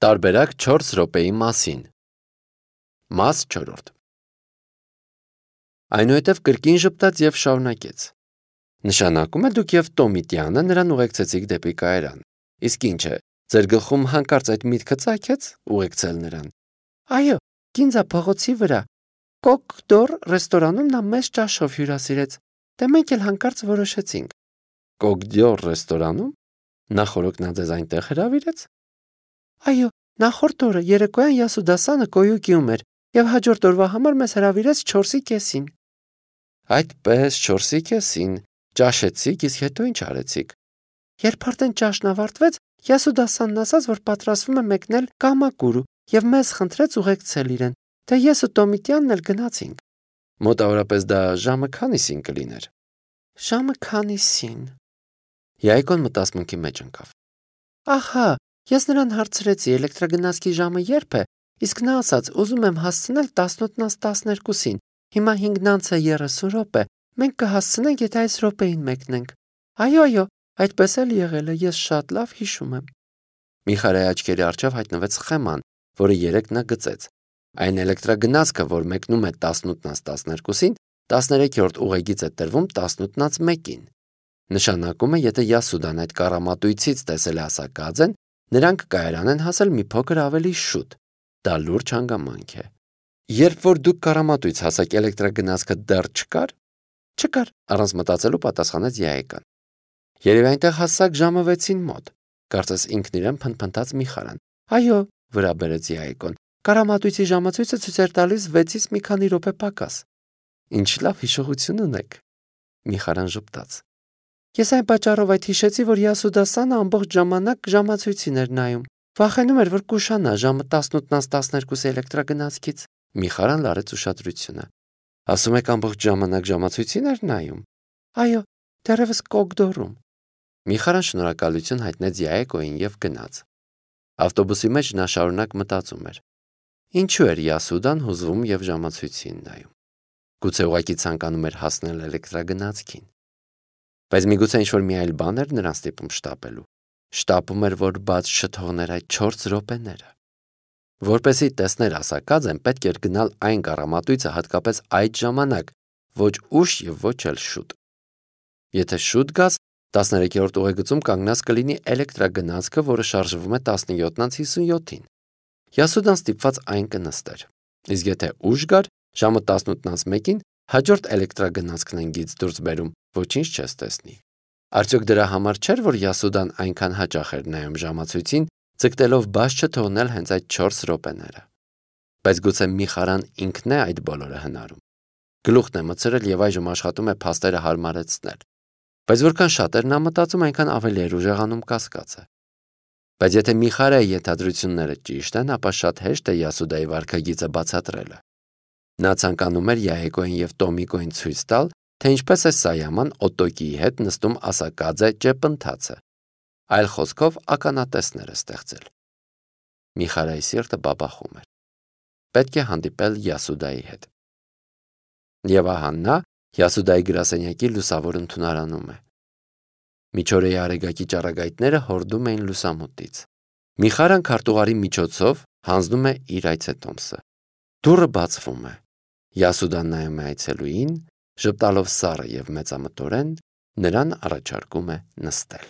Տարբերակ 4 րոպեի մասին։ Մաս 4. Այնուհետև կրկին ժպտաց և շարունակեց. Նշանակում է դուք և Տոմիտյանը նրան ուղեկցեցիք դեպի կայարան։ Իսկ ինչ է, ձեր գլխում հանկարծ այդ միտքը ծագեց ուղեկցել նրան։ Այո, Գինձա փողոցի վրա Կոկ-դոր ռեստորանում նա մեծ ճաշով հյուրասիրեց, դե մենք էլ հանկարծ որոշեցինք։ Կոկ-դոր ռեստորանում։ Նախորոք նա ձեզ այնտեղ հրավիրեց։ Այո, նախորդ օրը երեկոյան Յասուդասանը կոյուկիում էր և հաջորդ օրվա համար մեզ հրավիրեց 4:30-ին։ Այդպես 4:30-ին ճաշեցիք, իսկ հետո ինչ արեցիք։ Երբ արդեն ճաշն ավարտվեց, Յասուդասանն ասաց, որ պատրաստվում է մեկնել Կամակուրու և մեզ խնդրեց ուղեկցել իրեն, թե ես ու Տոմիտյանն էլ գնացինք։ Մոտավորապես դա ժամը քանիսին կլիներ։ Ժամը քանիսին։ Յայկոն մտածմունքի մեջ ընկավ։ Ահա, ես նրան հարցրեցի էլեկտրագնացքի ժամը երբ է, իսկ նա ասաց, ուզում եմ հասցնել 11:12-ին, հիմա 5:30 րոպե, մենք կհասցնենք, եթե այս րոպեին մեկնենք։ Այո, այդպես էլ եղել է, ես շատ լավ հիշում եմ։ Միխարայի աչքերի առջև հայտնվեց սխեման, որը երեկ նա գծեց։ Այն էլեկտրագնացքը, որ մեկնում է 18:12-ին, 13-րդ ուղեգիծ է տրվում 18:01-ին։ Նշանակում է, եթե Յասուդան այդ կառամատույցից տեսել է ասակաձեն, նրանք կայարան են հասել մի փոքր ավելի շուտ։ Դա լուրջ հանգամանք է։ Երբ որ դուք կառամատույց հասաք, էլեկտրագնացքը դեռ չկար։ Չկար, առանց մտածելու պատասխանեց Յայկան։ Երևի այնտեղ հասաք ժամը 6-ին մոտ։ Կարծես ինքն իրեն փնթփնթաց Միխարան։ Այո, վրա բերեց Յայկոն։ Կառամատույցի ժամացույցը ցույց էր տալիս 6-ից մի քանի րոպե պակաս։ Ինչ լավ հիշողություն ունեք։ Միխարան ժպտաց։ Ես այն պատճառով այդ հիշեցի, որ Յասուդասանը ամբողջ ժամանակ ժամացույցին էր նայում։ Վախենում էր, որ կուշանա ժամը 18:12 էլեկտրագնացքից։ Միխարան լարեց ուշադրությունը։ Ասում եք ամբողջ ժամանակ ժամացույցին էր նայում։ Այո, դեռևս Կոկ-դորում։ Միխարան շնորհակալություն հայտնեց Յայկոին և գնաց։ Ավտոբուսի մեջ նա շարունակ մտածում էր. ինչու էր Յասուդան հուզվում և ժամացույցին նայում։ Գուցե ուղղակի ցանկանում էր հասնել էլեկտրագնացքին։ Բայց միգուցե ինչ-որ մի այլ բան էր նրան ստիպում շտապելու։ Շտապում էր, որ բաց չթողներ այդ 4 րոպեները։ Որպեսզի տեսներ ասակաձեն, պետք էր գնալ այն կառամատույցը հատկապես այդ ժամանակ, ոչ ուշ և ոչ էլ շուտ։ Եթե շուտ գաս, 13-րդ ուղեգծում կանգնած կլինի էլեկտրագնացքը, որը շարժվում է 17:57-ին։ Յասուդան ստիպված այն կնստեր։ Իսկ եթե ուշ գար, ժամը 18:01-ին հաջորդ էլեկտրագնացքն են գիծ դուրս բերում, ոչինչ չես տեսնի։ Արդյոք դրա համար չէր, որ Յասուդան այնքան հաճախ էր նայում ժամացույցին, ձգտելով բաց չթողնել հենց այդ 4 րոպեները։ Բայց գուցե Միխարան ինքն է այդ բոլորը հնարում։ Գլուխն է մտցրել և այժմ աշխատում է փաստերը հարմարեցնել։ Բայց որքան շատ էր նա մտածում, այնքան ավելի էր ուժեղանում կասկածը։ Բայց եթե Միխարայի ենթադրությունները ճիշտ են, ապա շատ հեշտ է Յասուդայի վարքագիծը բացատրելը։ Նա ցանկանում էր Յայկոյին և Տոմիկոյին ցույց տալ, թե ինչպես է Սայաման Օտոկիի հետ նստում ասակաձե ճեպընթացը։ Այլ խոսքով ականատեսներ է ստեղծել։ Միխարայի սիրտը բաբախում էր։ Պետք է հանդիպել Յասուդայի հետ։ Եվ ահա նա Յասուդայի գրասենյակի լուսավոր ընդունարանում է։ Միջօրեի արեգակի ճառագայթները հորդում էին լուսամուտից։ Միխարան քարտուղարի միջոցով հանձնում է իր այցետոմսը։ Դուռը բացվում է։ Յասուդան նայում է այցելուին, ժպտալով սառը և մեծամտորեն նրան առաջարկում է նստել։